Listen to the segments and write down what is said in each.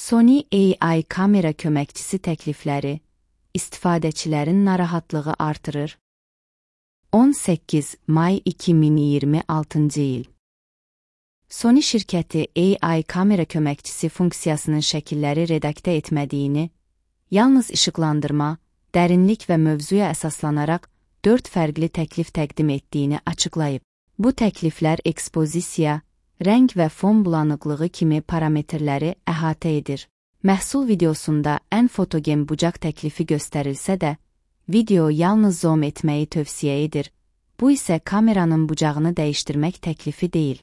Sony AI kamera köməkçisi təklifləri istifadəçilərin narahatlığı artırır. 18 may 2026-cı il. Sony şirkəti AI kamera köməkçisi funksiyasının şəkilləri redaktə etmədiyini, yalnız işıqlandırma, dərinlik və mövzuya əsaslanaraq 4 fərqli təklif təqdim etdiyini açıqlayıb. Bu təkliflər ekspozisiya, rəng və fon bulanıqlığı kimi parametrləri əhatə edir. Məhsul videosunda ən fotogen bucaq təklifi göstərilsə də, video yalnız zoom etməyi tövsiyə edir. Bu isə kameranın bucağını dəyişdirmək təklifi deyil.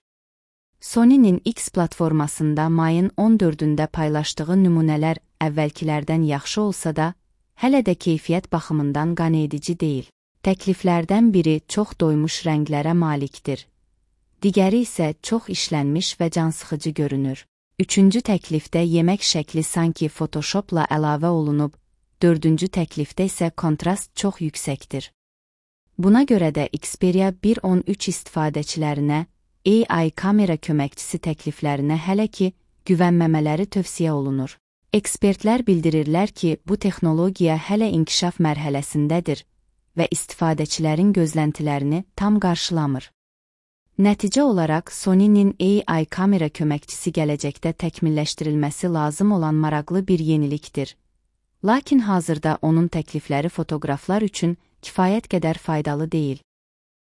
Sony'nin X platformasında mayın 14-də paylaşdığı nümunələr əvvəlkilərdən yaxşı olsa da, hələ də keyfiyyət baxımından qanedici deyil. Təkliflərdən biri çox doymuş rənglərə malikdir. Digəri isə çox işlənmiş və cansıxıcı görünür. Üçüncü təklifdə yemək şəkli sanki Photoshopla əlavə olunub, dördüncü təklifdə isə kontrast çox yüksəkdir. Buna görə də Xperia 1.13 istifadəçilərinə AI kamera köməkçisi təkliflərinə hələ ki güvənməmələri tövsiyə olunur. Ekspertlər bildirirlər ki, bu texnologiya hələ inkişaf mərhələsindədir və istifadəçilərin gözləntilərini tam qarşılamır. Nəticə olaraq Sony'nin AI kamera köməkçisi gələcəkdə təkmilləşdirilməsi lazım olan maraqlı bir yenilikdir. Lakin hazırda onun təklifləri fotoqraflar üçün kifayət qədər faydalı deyil.